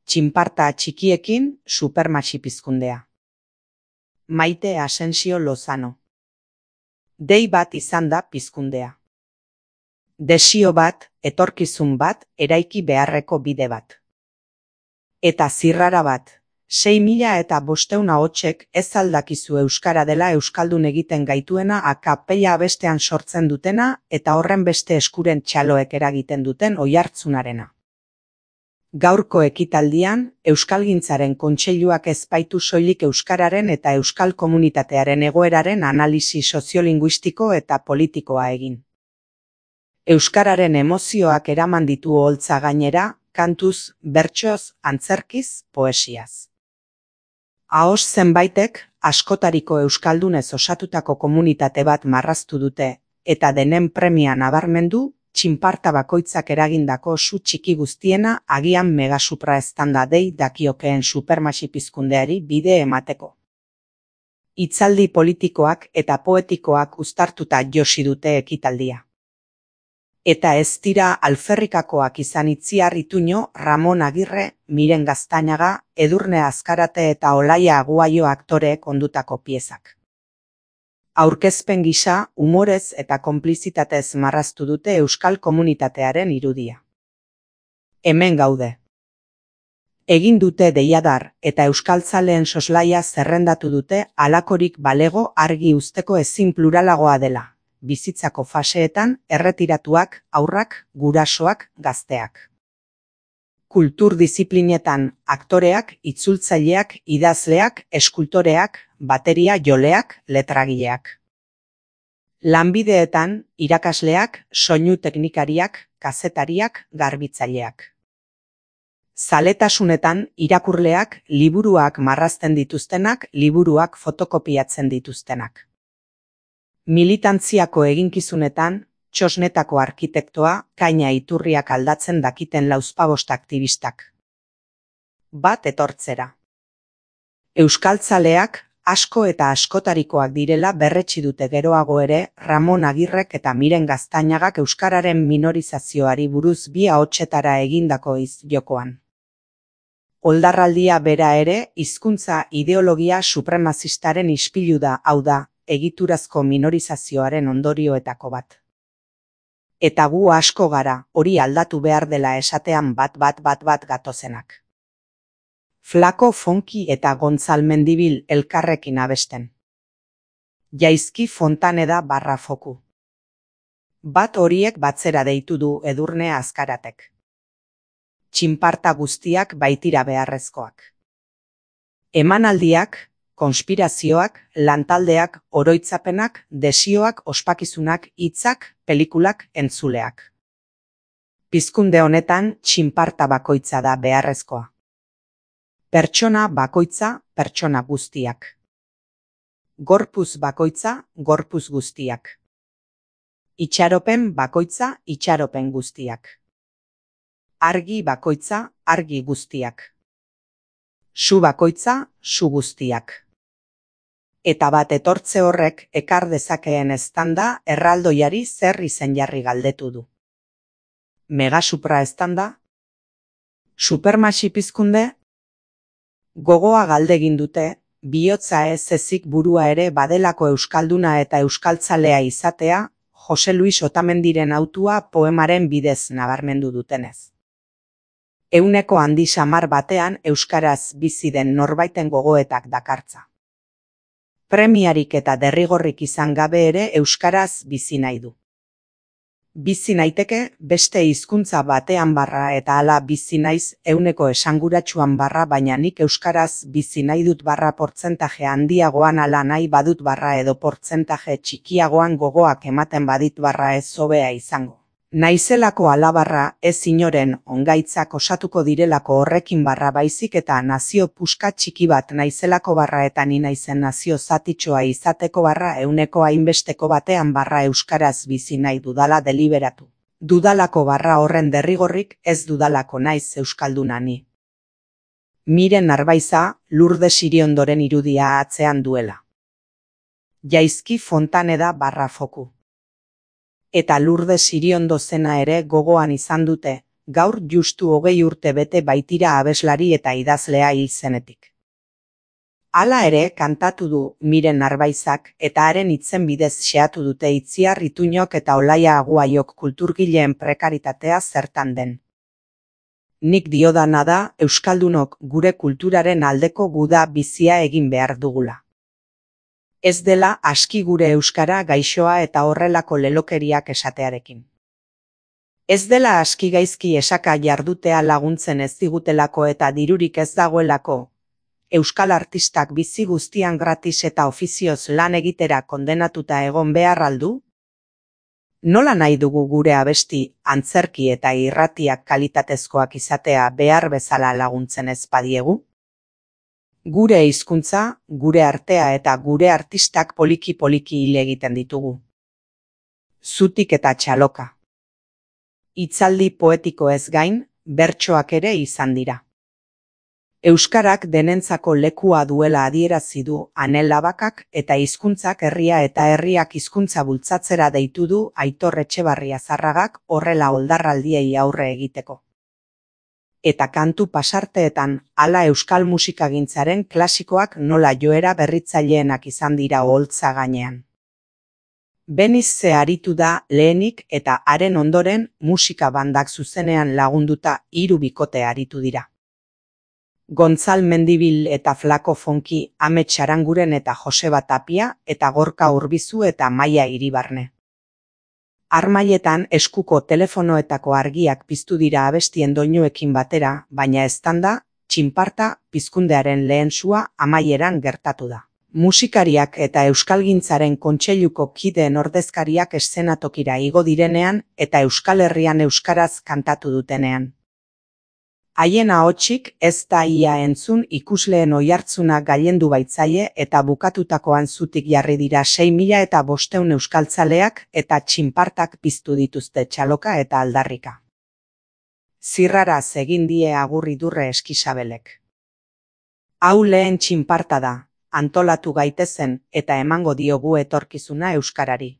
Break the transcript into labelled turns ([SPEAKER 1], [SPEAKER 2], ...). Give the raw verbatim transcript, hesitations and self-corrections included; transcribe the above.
[SPEAKER 1] Txinparta txikiekin Supermaxi pizkundea. Maite Asensio Lozano. Dei bat izan da pizkundea. Desio bat, etorkizun bat, eraiki beharreko bide bat. Eta zirrara bat, sei mila eta bosteun ahotsek ez aldakizu euskara dela euskaldun egiten gaituena akapella abestean sortzen dutena eta horren beste eskuren txaloek eragiten duten oihartzunarena. Gaurko ekitaldian, Euskalgintzaren Kontseiluak ez baitu soilik euskararen eta euskal komunitatearen egoeraren analisi soziolinguistiko eta politikoa egin. Euskararen emozioak eraman ditu oholtza gainera, kantuz, bertsoz, antzerkiz, poesiaz. Ahoz zenbaitek, askotariko euskaldunez osatutako komunitate bat marraztu dute, eta denen premia nabarmendu, txinparta bakoitzak eragindako su txiki guztiena agian megasupra-estanda dei dakiokeen Supermaxi pizkundeari bide emateko. Hitzaldi politikoak eta poetikoak uztartuta josi dute ekitaldia. Eta ez dira alferrikakoak izan Itziar Ituño, Ramon Agirre, Miren Gaztañaga, Edurne Azkarate eta Olaia Aguayo aktoreek ondutako piezak. Aurkezpen gisa, umorez eta konplizitatez marraztu dute euskal komunitatearen irudia. Hemen gaude. Egin dute deiadar eta euskaltzaleen soslaia zerrendatu dute halakorik balego argi uzteko ezin pluralagoa dela, bizitzako faseetan erretiratuak, haurrak, gurasoak, gazteak. Kultur diziplinetan aktoreak, itzultzaileak, idazleak, eskultoreak, bateria joleak, letragileak. Lanbideetan, irakasleak, soinu teknikariak, kazetariak, garbitzaileak. Zaletasunetan, irakurleak, liburuak marrazten dituztenak, liburuak fotokopiatzen dituztenak. Militantziako eginkizunetan, txosnetako arkitektoa, kaina iturriak aldatzen dakiten lauzpabost aktivistak. Bat etortzera. Euskaltzaleak, asko eta askotarikoak direla berretsi dute geroago ere Ramon Agirrek eta Miren Gaztañagak euskararen minorizazioari buruz bi ahotsetara egindako izjokoan. Oldarraldia bera ere hizkuntza ideologia supremazistaren ispilu da, hau da, egiturazko minorizazioaren ondorioetako bat. Eta gu asko gara, hori aldatu behar dela esatean bat bat bat bat gatozenak. Flako Fonki eta Gontzal Mendibil elkarrekin abesten. Jaizki Fontaneda barra foku. Bat horiek batzera deitu du Edurne Azkaratek. Txinparta guztiak baitira beharrezkoak. Emanaldiak, konspirazioak, lantaldeak, oroitzapenak, desioak, ospakizunak, hitzak, pelikulak, entzuleak. Pizkunde honetan txinparta bakoitza da beharrezkoa. Pertsona bakoitza, pertsona guztiak. Gorpuz bakoitza, gorpuz guztiak. Itxaropen bakoitza, itxaropen guztiak. Argi bakoitza, argi guztiak. Su bakoitza, su guztiak. Eta bat etortze horrek ekar dezakeen eztanda erraldoiari zer izen jarri galdetu du. Megasupra eztanda? Supermaxi pizkunde? Gogoa galdegin dute, bihotza ez ezik burua ere badelako euskalduna eta euskaltzalea izatea, Jose Luis Otamendiren autua poemaren bidez nabarmendu dutenez. Euneko handi samar batean euskaraz bizi den norbaiten gogoetak dakartza. Premiarik eta derrigorrik izan gabe ere euskaraz bizi nahi du. Bizi naiteke beste hizkuntza batean barra eta hala bizi naiz euneko esanguratsuan barra baina nik euskaraz bizi nahi dut barra portzentaje handiagoan ala nahi badut barra edo portzentaje txikiagoan gogoak ematen badit barra ez hobea izango. Naizelako alabarra ez inoren ongaitzak osatuko direlako horrekin barra baizik eta nazio puska txiki bat naizelako barra eta ni naizen nazio zatitxoa izateko barra euneko hainbesteko batean barra euskaraz bizi nahi dudala deliberatu. Dudalako barra horren derrigorrik ez dudalako naiz euskalduna ni. Miren Arbaiza, Lourdes Iriondoren irudia atzean duela. Jaizki Fontaneda barra foku. Eta Lourdes Iriondo zena ere gogoan izan dute, gaur justu hogei urte bete baitira abeslari eta idazlea hil zenetik. Hala ere, kantatu du Miren Narbaizak eta haren hitzen bidez xehatu dute Itziar Ituñok eta Olaia Aguaiok kulturgileen prekaritatea zertan den. Nik diodana da, euskaldunok gure kulturaren aldeko guda bizia egin behar dugula. Ez dela aski gure euskara gaixoa eta horrelako lelokeriak esatearekin. Ez dela aski gaizki esaka jardutea laguntzen ez digutelako eta dirurik ez dagoelako, euskal artistak bizi guztian gratis eta ofizioz lan egitera kondenatuta egon behar aldu? Nola nahi dugu gure abesti, antzerki eta irratiak kalitatezkoak izatea behar bezala laguntzen ez badiegu? Gure hizkuntza, gure artea eta gure artistak poliki-poliki hil egiten ditugu. Zutik eta txaloka. Hitzaldi poetiko ez gain, bertsoak ere izan dira. Euskarak denentzako lekua duela adierazi du Anel Labakak eta hizkuntzak herria eta herriak hizkuntza bultzatzera deitu du Aitor Etxebarria Zarragak horrela oldarraldiei aurre egiteko. Eta kantu pasarteetan hala euskal musikagintzaren klasikoak nola joera berritzaileenak izan dira oholtza gainean. Benizze aritu da lehenik eta haren ondoren musika bandak zuzenean lagunduta hiru bikote aritu dira. Gontzal Mendibil eta Flako Fonki, Amets Aranguren eta Joseba Tapia eta Gorka Urbizu eta Maia Iribarne. Harmailetan eskuko telefonoetako argiak piztu dira abestien doinuekin batera, baina eztanda, txinparta, pizkundearen lehen sua amaieran gertatu da. Musikariak eta euskalgintzaren kontseiluko kideen ordezkariak eszenatokira igo direnean eta Euskal Herrian euskaraz kantatu dutenean. Haien ahotsik ez da ia entzun ikusleen oihartzuna gailendu baitzaie eta bukatutakoan zutik jarri dira sei mila eta bosteun euskaltzaleak eta txinpartak piztu dituzte txaloka eta aldarrika. Zirraraz egin die agur Idurre Eskisabelek. Hau lehen txinparta da, antolatu gaitezen eta emango diogu etorkizuna euskarari.